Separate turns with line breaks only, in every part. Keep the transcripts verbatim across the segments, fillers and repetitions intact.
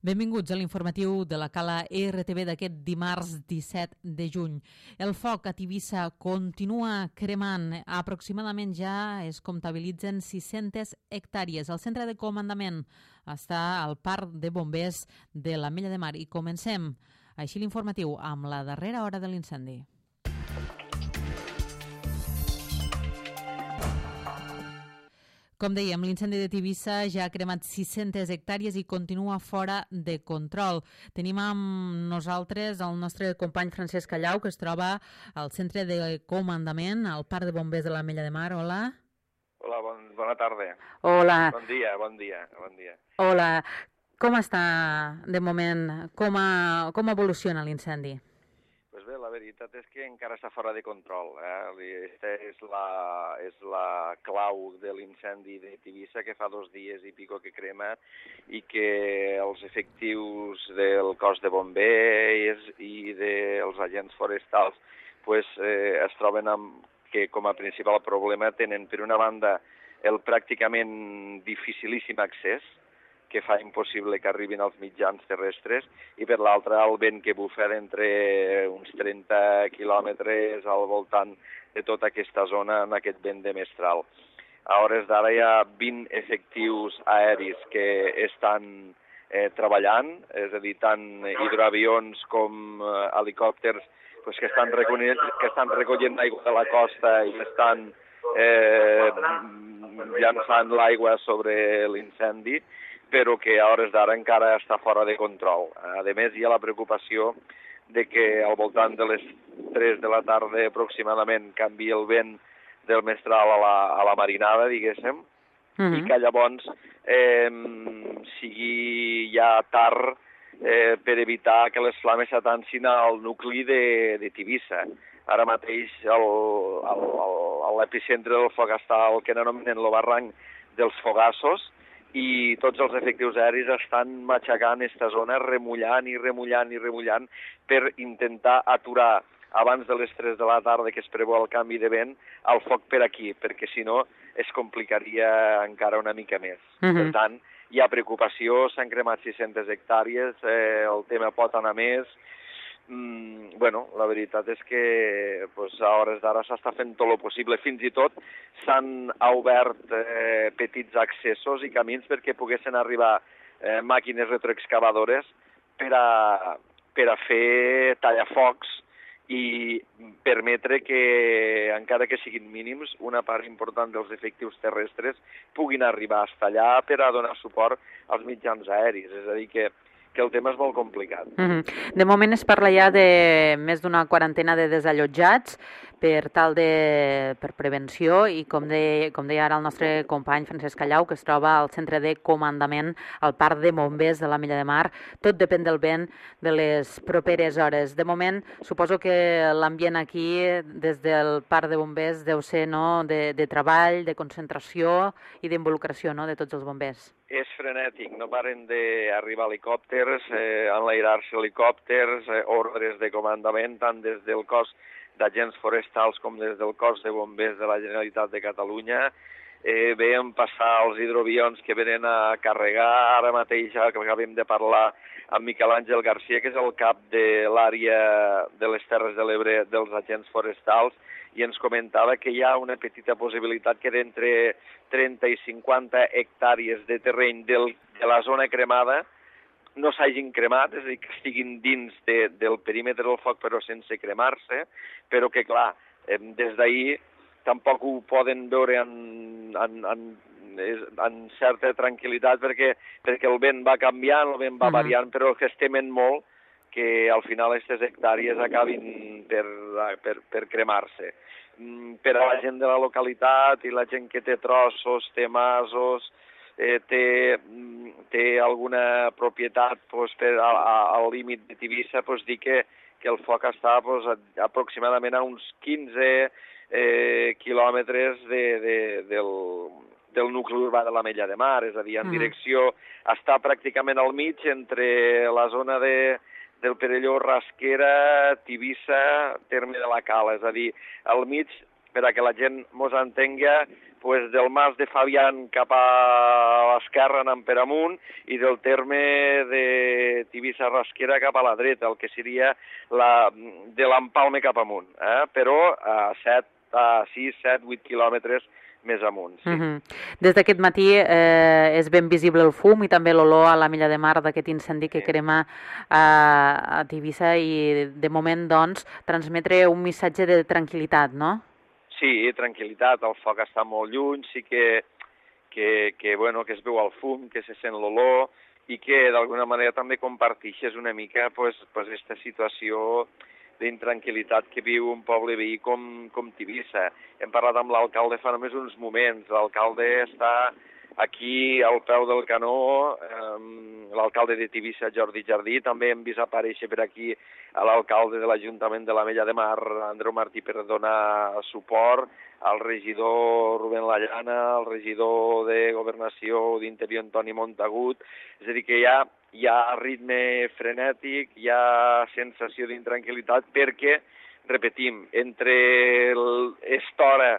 Benvinguts a l'informatiu de la Cala R T V d'aquest dimarts disset de juny. El foc a Tivissa continua cremant. Aproximadament ja es comptabilitzen sis-centes hectàrees. El centre de comandament està al parc de bombers de l'Ametlla de Mar. I comencem així l'informatiu amb la darrera hora de l'incendi. Com dèiem, l'incendi de Tivissa ja ha cremat sis-centes hectàrees i continua fora de control. Tenim amb nosaltres el nostre company Francesc Callau, que es troba al centre de comandament, al parc de bombers de l'Ametlla de Mar. Hola.
Hola, bon, bona tarda.
Hola.
Bon dia, bon dia, bon dia.
Hola. Com està de moment? Com, a, com evoluciona l'incendi?
Pues bé, la veritat és que encara està fora de control. Eh? Aquesta és la, és la clau de l'incendi de Tivissa, que fa dos dies i pico que crema, i que els efectius del cos de bombers i dels agents forestals pues, eh, es troben amb que com a principal problema tenen, per una banda, el pràcticament dificilíssim accés, que fa impossible que arribin als mitjans terrestres, i per l'altra el vent que bufa d'entre uns trenta quilòmetres al voltant de tota aquesta zona en aquest vent de mestral. A hores d'ara hi ha vint efectius aeris que estan eh, treballant, és a dir, tant hidroavions com eh, helicòpters pues, que, estan recollint, que estan recollint l'aigua de la costa i estan eh, llançant l'aigua sobre l'incendi, però que a hores d'ara encara està fora de control. A més, hi ha la preocupació de que al voltant de les tres de la tarda aproximadament canvi el vent del mestral a la, a la marinada, diguéssim, uh-huh. i que llavors eh, sigui ja tard eh, per evitar que les flames s'atancin al nucli de, de Tivissa. Ara mateix l'epicentre del foc està el que anomenen el barranc dels Fogassos, i tots els efectius aeris estan matxacant aquesta zona, remullant i remullant i remullant per intentar aturar abans de les tres de la tarda, que es preveu el canvi de vent, el foc per aquí, perquè si no es complicaria encara una mica més. Uh-huh. Per tant, hi ha preocupació, s'han cremat sis-centes hectàrees, eh, el tema pot anar més. Mm, bueno, la veritat és que pues, a hores d'ara s'està fent tot el possible. Fins i tot s'han obert eh, petits accessos i camins perquè poguessin arribar eh, màquines retroexcavadores per a, per a fer tallafocs i permetre que, encara que siguin mínims, una part important dels efectius terrestres puguin arribar fins allà per a donar suport als mitjans aeris. És a dir, que que el tema és molt complicat.
Mm-hmm. De moment es parla ja de més d'una quarantena de desallotjats per tal de per prevenció i com, de, com deia ara el nostre company Francesc Callau, que es troba al centre de comandament al parc de bombers de l'Ametlla de Mar. Tot depèn del vent de les properes hores. De moment, suposo que l'ambient aquí des del parc de bombers deu ser no, de, de treball, de concentració i d'involucració no, de tots els bombers.
És frenètic, no paren d'arribar helicòpters, eh, enlairar-se helicòpters, eh, ordres de comandament, tant des del cos d'agents forestals com des del cos de bombers de la Generalitat de Catalunya. Eh, veiem passar els hidroavions que venen a carregar. Ara mateix ja que acabem de parlar amb Miquel Àngel Garcia, que és el cap de l'àrea de les Terres de l'Ebre dels agents forestals, i ens comentava que hi ha una petita possibilitat que d'entre trenta i cinquanta hectàrees de terreny del, de la zona cremada no s'hagin cremat, és a dir, que estiguin dins de, del perímetre del foc però sense cremar-se, però que, clar, eh, des d'ahir tampoc ho poden veure en, en, en, en certa tranquil·litat perquè, perquè el vent va canviant, el vent va variant, però que es temen molt que al final aquestes hectàrees acabin per, per, per cremar-se. Per a la gent de la localitat i la gent que té trossos, té masos, eh, té, té alguna propietat pues, per a, a, al límit de Tivissa, pues, dir que, que el foc està pues, a, aproximadament a uns quinze eh, quilòmetres de, de, del, del nucli urbà de l'Ametlla de Mar, és a dir, en mm. direcció, està pràcticament al mig entre la zona de del Perelló, Rasquera, Tivissa, terme de la Cala, és a dir, al mig, per a que la gent mos entenga, pues, del Mas de Fabián cap a l'esquerra anant per amunt i del terme de Tivissa-Rasquera cap a la dreta, el que seria la, de l'Empalme cap amunt, eh? Però a set, a sis, set, vuit quilòmetres més amunt. Sí.
Uh-huh. Des d'aquest matí eh, és ben visible el fum i també l'olor a la Milla de Mar d'aquest incendi que sí. crema a, a Tivissa i de moment doncs transmetre un missatge de tranquil·litat, no?
Sí, tranquil·litat, el foc està molt lluny, sí que, que, que, bueno, que es veu el fum, que se sent l'olor i que d'alguna manera també compartixes una mica pues, pues, esta situació d'intranquil·litat que viu un poble veí com, com Tivissa. Hem parlat amb l'alcalde fa només uns moments, l'alcalde està aquí al peu del canó, eh, l'alcalde de Tivissa, Jordi Jardí, també hem vist aparèixer per aquí a l'alcalde de l'Ajuntament de la Mella de Mar, Andreu Martí, per donar suport, al regidor Rubén Lallana, al regidor de Governació d'Interior Antoni Montagut, és a dir, que hi ha, hi ha ritme frenètic, hi ha sensació d'intranquil·litat, perquè, repetim, entre aquesta hora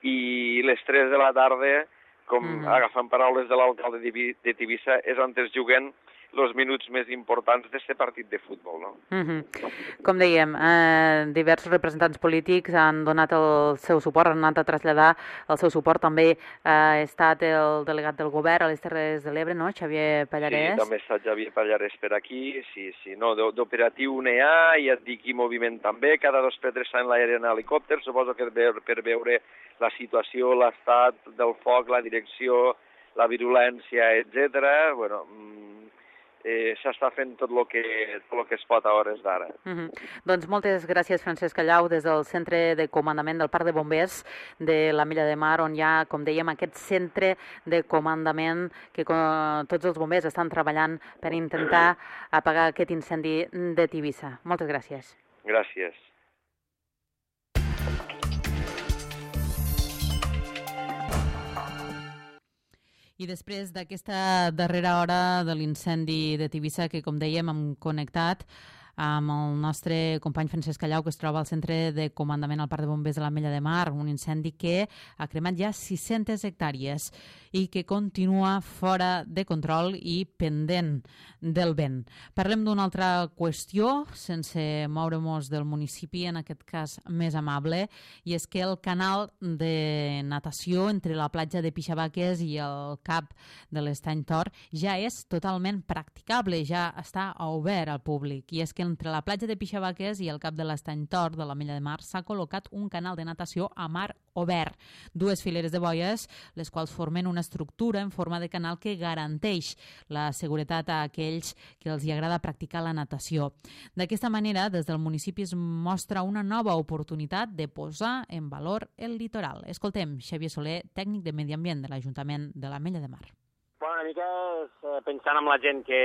i les tres de la tarda, com mm. agafant paraules de l'alcalde de Tivissa, és on es juguen els minuts més importants d'aquest partit de futbol. No?
Mm-hmm. Com dèiem, eh, diversos representants polítics han donat el seu suport, han anat a traslladar el seu suport. També eh, ha estat el delegat del govern a les Terres de l'Ebre, no? Xavier Pallarès.
Sí, també està Xavier Pallarès per aquí. Sí, sí, no, d'operatiu n'hi ha, i et dic, i moviment també. Cada dos per tres s'ha en l'aire en helicòpter, suposo que per veure la situació, l'estat del foc, la direcció, la virulència, etcètera. Bueno, eh, s'està fent tot el que, tot lo que es pot a hores d'ara.
Mm-hmm. Doncs moltes gràcies, Francesc Callau, des del Centre de Comandament del Parc de Bombers de la Mella de Mar, on hi ha, com dèiem, aquest centre de comandament que com, tots els bombers estan treballant per intentar apagar aquest incendi de Tivissa. Moltes gràcies.
Gràcies.
I després d'aquesta darrera hora de l'incendi de Tivissa, que com dèiem hem connectat amb el nostre company Francesc Callau, que es troba al Centre de Comandament al Parc de Bombers de la Mella de Mar, un incendi que ha cremat ja sis-centes hectàrees i que continua fora de control i pendent del vent. Parlem d'una altra qüestió, sense moure-nos del municipi, en aquest cas més amable, i és que el canal de natació entre la platja de Pixabaques i el cap de l'Estany Tor ja és totalment practicable, ja està obert al públic, i és que entre la platja de Pixabaques i el cap de l'Estany Tor de la Mella de Mar s'ha col·locat un canal de natació a mar obert. Dues fileres de boies, les quals formen una estructura en forma de canal que garanteix la seguretat a aquells que els hi agrada practicar la natació. D'aquesta manera, des del municipi es mostra una nova oportunitat de posar en valor el litoral. Escoltem Xavier Soler, tècnic de Medi Ambient de l'Ajuntament de la Mella de Mar.
Bueno, una mica és, eh, pensant en la gent que,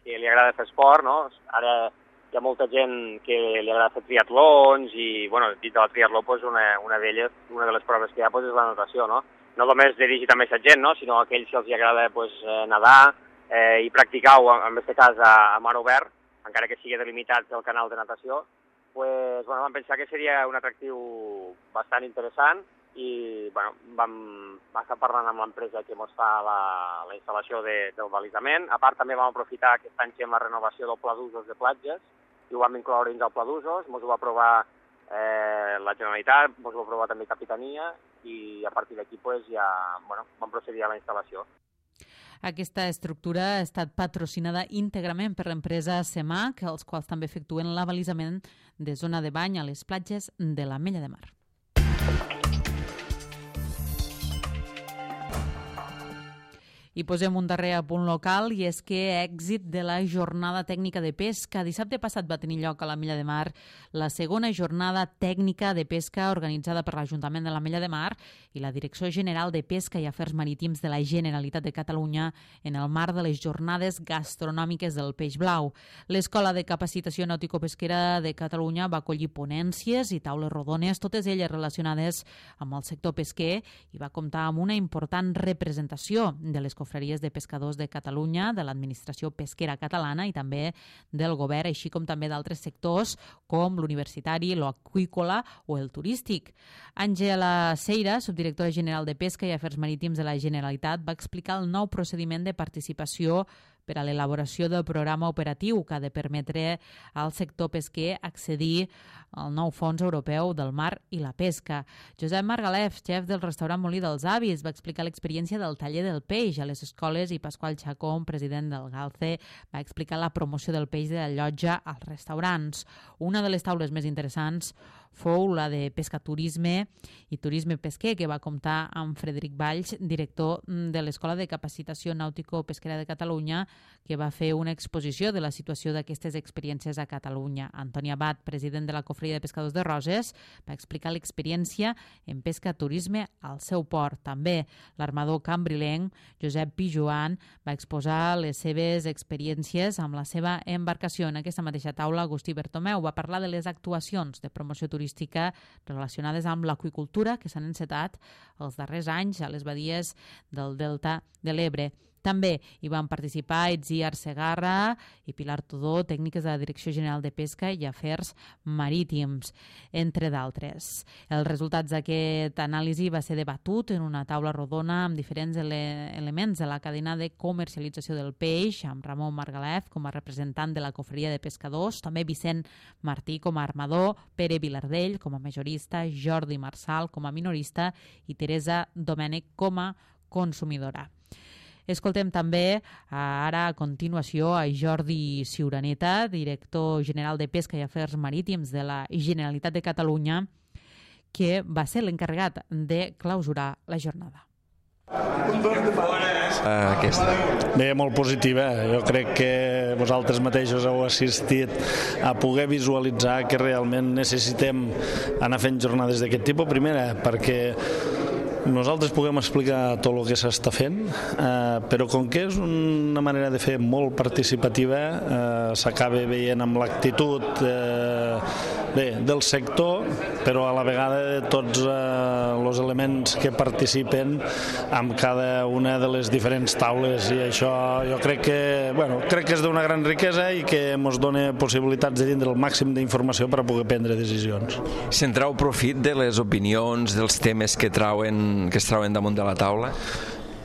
que li agrada fer esport, no? Ara hi ha molta gent que li agrada fer triatlons i, bueno, dit de la triatló, pues, una, una d'elles, una de les proves que hi ha, pues, és la natació, no? No només dirigit a aquesta gent, no? Sinó a aquells que els agrada, pues, nedar eh, i practicar-ho, en aquest cas, a, a mar obert, encara que sigui delimitat el canal de natació, pues, bueno, vam pensar que seria un atractiu bastant interessant i, bueno, vam, vam estar parlant amb l'empresa que ens fa la, la instal·lació de, del balisament. A part, també vam aprofitar aquest any amb la renovació del pla d'usos de platges i ho vam incloure dins del pla d'usos. Ens ho va aprovar eh, la Generalitat, ens ho va aprovar també Capitania i a partir d'aquí pues, ja bueno, vam procedir a la instal·lació.
Aquesta estructura ha estat patrocinada íntegrament per l'empresa CEMAC, els quals també efectuen l'abalisament de zona de bany a les platges de la Mella de Mar. I posem un darrer apunt local, i és que èxit de la jornada tècnica de pesca. Dissabte passat va tenir lloc a la Mella de Mar la segona jornada tècnica de pesca organitzada per l'Ajuntament de la Mella de Mar i la Direcció General de Pesca i Afers Marítims de la Generalitat de Catalunya en el marc de les jornades gastronòmiques del peix blau. L'Escola de Capacitació Nàutico-Pesquera de Catalunya va acollir ponències i taules rodones, totes elles relacionades amb el sector pesquer, i va comptar amb una important representació de les confraries de pescadors de Catalunya, de l'administració pesquera catalana i també del govern, així com també d'altres sectors com l'universitari, l'aqüícola o el turístic. Àngela Seira, subdirectora general de Pesca i Afers Marítims de la Generalitat, va explicar el nou procediment de participació per a l'elaboració del programa operatiu que ha de permetre al sector pesquer accedir al nou Fons Europeu del Mar i la Pesca. Josep Margalef, xef del restaurant Molí dels Avis, va explicar l'experiència del taller del peix a les escoles i Pasqual Chacón, president del Galce, va explicar la promoció del peix de la llotja als restaurants. Una de les taules més interessants fou la de pescaturisme i turisme pesquer, que va comptar amb Frederic Valls, director de l'Escola de Capacitació Nàutico-Pesquera de Catalunya, que va fer una exposició de la situació d'aquestes experiències a Catalunya. Antoni Abad, president de la Cofreria de Pescadors de Roses, va explicar l'experiència en pesca-turisme al seu port. També l'armador cambrilenc, Josep Pijuan, va exposar les seves experiències amb la seva embarcació. En aquesta mateixa taula, Agustí Bertomeu va parlar de les actuacions de promoció turística relacionades amb l'aqüicultura que s'han encetat els darrers anys a les badies del Delta de l'Ebre. També hi van participar Itziar Segarra i Pilar Tudó, tècniques de la Direcció General de Pesca i Afers Marítims, entre d'altres. Els resultats d'aquest anàlisi va ser debatut en una taula rodona amb diferents ele elements de la cadena de comercialització del peix, amb Ramon Margalef com a representant de la Cofreria de Pescadors, també Vicent Martí com a armador, Pere Vilardell com a majorista, Jordi Marçal com a minorista i Teresa Domènech com a consumidora. Escoltem també ara a continuació a Jordi Ciuraneta, director general de Pesca i Afers Marítims de la Generalitat de Catalunya, que va ser l'encarregat de clausurar la jornada.
Aquesta.
Bé, molt positiva. Jo crec que vosaltres mateixos heu assistit a poder visualitzar que realment necessitem anar fent jornades d'aquest tipus. Primera, perquè nosaltres puguem explicar tot el que s'està fent, eh, però com que és una manera de fer molt participativa, eh, s'acaba veient amb l'actitud eh, bé, del sector, però a la vegada de tots eh, els elements que participen amb cada una de les diferents taules, i això jo crec que, bueno, crec que és d'una gran riquesa i que ens dona possibilitats de tindre el màxim d'informació per a poder prendre decisions.
Se'n trau profit de les opinions, dels temes que trauen que es trauen damunt de la taula?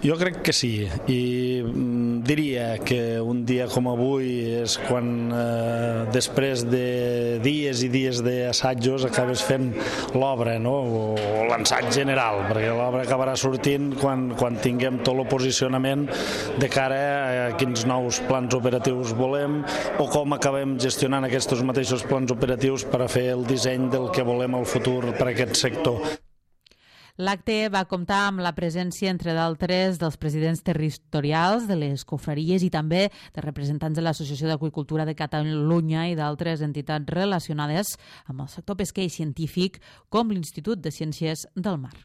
Jo crec que sí, i mm, diria que un dia com avui és quan eh, després de dies i dies d'assajos acabes fent l'obra, no? o l'ensaig general, perquè l'obra acabarà sortint quan, quan tinguem tot el posicionament de cara a quins nous plans operatius volem o com acabem gestionant aquests mateixos plans operatius per a fer el disseny del que volem al futur per a aquest sector.
L'acte va comptar amb la presència, entre d'altres, dels presidents territorials de les confraries i també de representants de l'Associació d'Aqüicultura de Catalunya i d'altres entitats relacionades amb el sector pesquer i científic, com l'Institut de Ciències del Mar.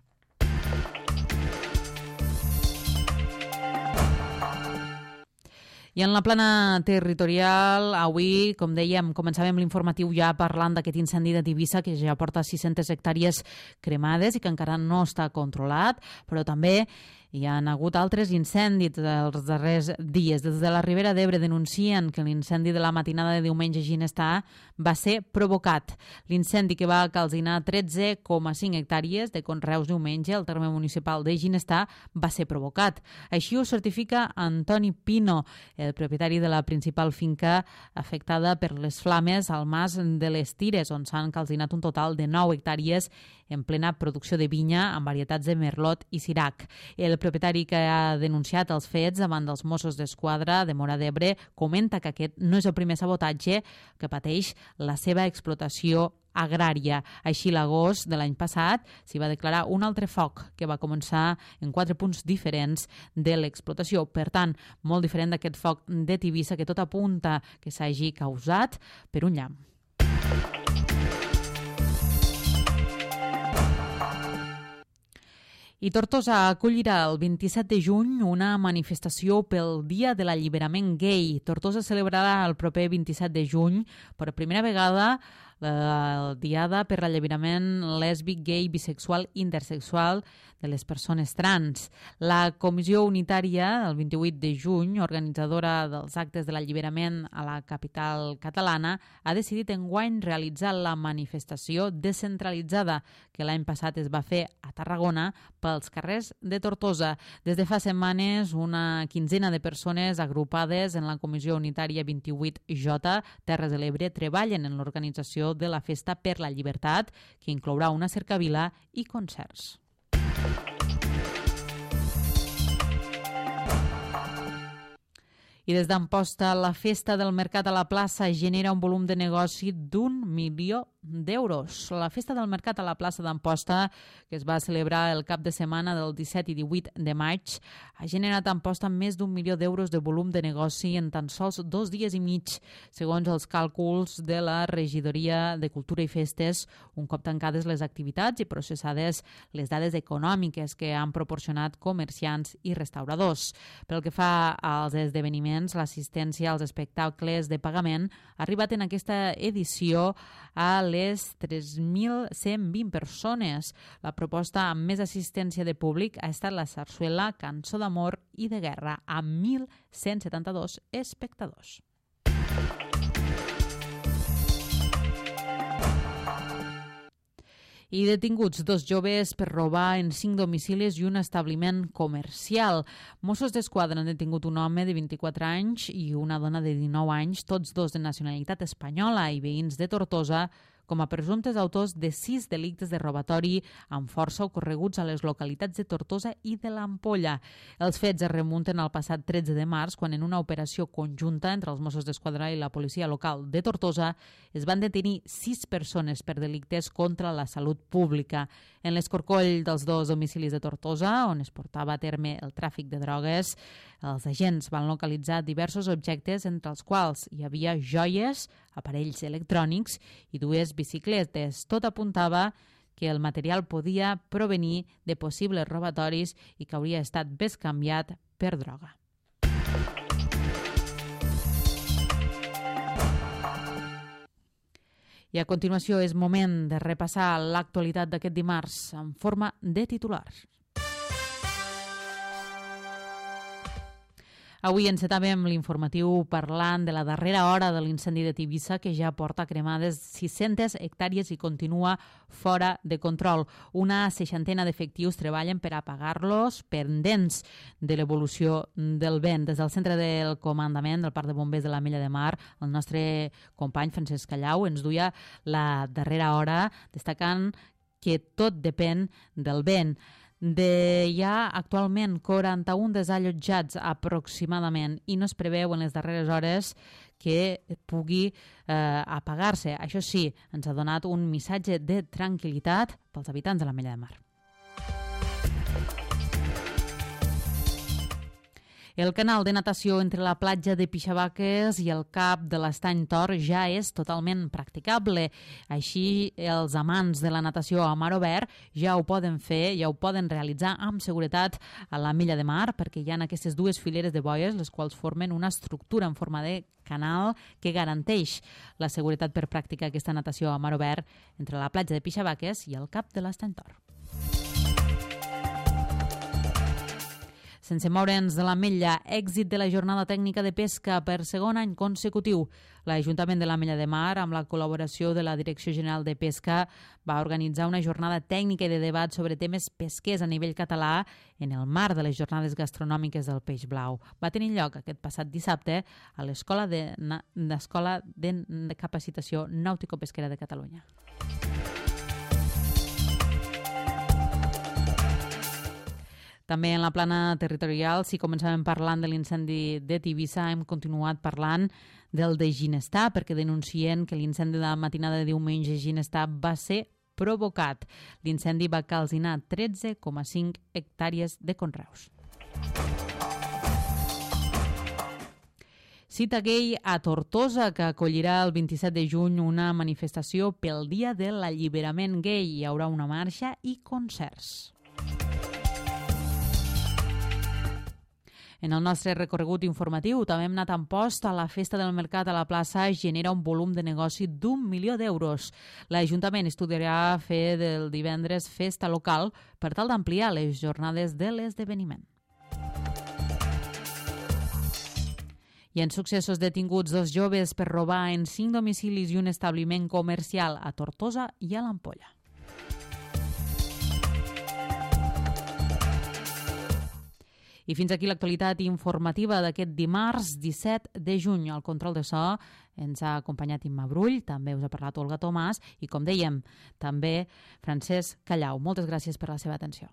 I en la plana territorial, avui, com dèiem, començàvem l'informatiu ja parlant d'aquest incendi de Tivissa, que ja porta sis-centes hectàrees cremades i que encara no està controlat, però també hi ha hagut altres incendis els darrers dies. Des de la Ribera d'Ebre denuncien que l'incendi de la matinada de diumenge a Ginestar va ser provocat. L'incendi, que va calcinar tretze coma cinc hectàrees de conreus diumenge al terme municipal de Ginestar, va ser provocat. Així ho certifica Antoni Pino, el propietari de la principal finca afectada per les flames al Mas de les Tires, on s'han calcinat un total de nou hectàrees en plena producció de vinya amb varietats de merlot i sirac. El propietari que ha denunciat els fets davant dels Mossos d'Esquadra de Móra d'Ebre comenta que aquest no és el primer sabotatge que pateix la seva explotació agrària. Així, l'agost de l'any passat s'hi va declarar un altre foc que va començar en quatre punts diferents de l'explotació. Per tant, molt diferent d'aquest foc de Tivissa que tot apunta que s'hagi causat per un llamp. I Tortosa acollirà el vint-i-set de juny una manifestació pel Dia de l'Alliberament Gai. Tortosa celebrarà el proper vint-i-set de juny per primera vegada la Diada per l'Alliberament lèsbic, gay, bisexual, intersexual de les persones trans. La Comissió Unitària, el vint-i-vuit de juny, organitzadora dels actes de l'alliberament a la capital catalana, ha decidit enguany realitzar la manifestació descentralitzada que l'any passat es va fer a Tarragona pels carrers de Tortosa. Des de fa setmanes, una quinzena de persones agrupades en la Comissió Unitària vint-i-vuit J, Terres de l'Ebre, treballen en l'organització de la Festa per la Llibertat, que inclourà una cercavila i concerts. I des d'Amposta, la Festa del Mercat a la plaça genera un volum de negoci d'un milió d'euros. La Festa del Mercat a la plaça d'Amposta, que es va celebrar el cap de setmana del disset i divuit de maig, ha generat a Amposta més d'un milió d'euros de volum de negoci en tan sols dos dies i mig, segons els càlculs de la Regidoria de Cultura i Festes, un cop tancades les activitats i processades les dades econòmiques que han proporcionat comerciants i restauradors. Pel que fa als esdeveniments, l'assistència als espectacles de pagament ha arribat en aquesta edició a les tres mil cent vint persones. La proposta amb més assistència de públic ha estat la sarsuela Cançó d'amor i de guerra, amb mil cent setanta-dos espectadors. I detinguts dos joves per robar en cinc domicilis i un establiment comercial. Mossos d'Esquadra han detingut un home de vint-i-quatre anys i una dona de dinou anys, tots dos de nacionalitat espanyola i veïns de Tortosa, com a presumptes autors de sis delictes de robatori amb força ocorreguts a les localitats de Tortosa i de l'Ampolla. Els fets es remunten al passat tretze de març, quan en una operació conjunta entre els Mossos d'Esquadra i la policia local de Tortosa es van detenir sis persones per delictes contra la salut pública. En l'escorcoll dels dos domicilis de Tortosa, on es portava a terme el tràfic de drogues, els agents van localitzar diversos objectes, entre els quals hi havia joies, aparells electrònics i dues bicicletes. Tot apuntava que el material podia provenir de possibles robatoris i que hauria estat bescanviat per droga. I a continuació és moment de repassar l'actualitat d'aquest dimarts en forma de titulars. Avui encetàvem l'informatiu parlant de la darrera hora de l'incendi de Tivissa, que ja porta cremades sis-centes hectàrees i continua fora de control. Una seixantena d'efectius treballen per apagar-los, pendents de l'evolució del vent. Des del centre del comandament del Parc de Bombers de l'Ametlla de Mar, el nostre company Francesc Callau ens duia la darrera hora, destacant que tot depèn del vent. De hi ha actualment quaranta-un desallotjats aproximadament i no es preveu en les darreres hores que pugui eh, apagar-se. Això sí, ens ha donat un missatge de tranquil·litat pels habitants de l'Ametlla de Mar. El canal de natació entre la platja de Pixavaques i el cap de l'Estany Tor ja és totalment practicable. Així, els amants de la natació a mar obert ja ho poden fer, ja ho poden realitzar amb seguretat a l'Ametlla de Mar, perquè hi ha aquestes dues fileres de boies, les quals formen una estructura en forma de canal que garanteix la seguretat per practicar aquesta natació a mar obert entre la platja de Pixavaques i el cap de l'Estany Tor. Sense moure'ns de l'Ametlla, èxit de la jornada tècnica de pesca per segon any consecutiu. L'Ajuntament de l'Ametlla de Mar, amb la col·laboració de la Direcció General de Pesca, va organitzar una jornada tècnica i de debat sobre temes pesquers a nivell català en el marc de les jornades gastronòmiques del Peix Blau. Va tenir lloc aquest passat dissabte a l'Escola de, d'Escola de Capacitació Nàutico-Pesquera de Catalunya. També en la plana territorial, si començàvem parlant de l'incendi de Tivissa, hem continuat parlant del de Ginestar, perquè denuncien que l'incendi de la matinada de diumenge a Ginestar va ser provocat. L'incendi va calcinar tretze coma cinc hectàrees de conreus. Cita gay a Tortosa, que acollirà el vint-i-set de juny una manifestació pel Dia de l'Alliberament Gay. Hi haurà una marxa i concerts.
En el nostre recorregut informatiu també hem anat en post a la Festa del Mercat a la plaça genera un volum de negoci d'un milió d'euros. L'Ajuntament estudiarà fer del divendres festa local per tal d'ampliar les jornades de l'esdeveniment. I en successos detinguts dos joves per robar en cinc domicilis i un establiment comercial a Tortosa i a l'Ampolla. I fins aquí l'actualitat informativa d'aquest dimarts disset de juny. Al control de so ens ha acompanyat Imma Brull, també us ha parlat Olga Tomàs i, com dèiem, també Francesc Callau. Moltes gràcies per la seva atenció.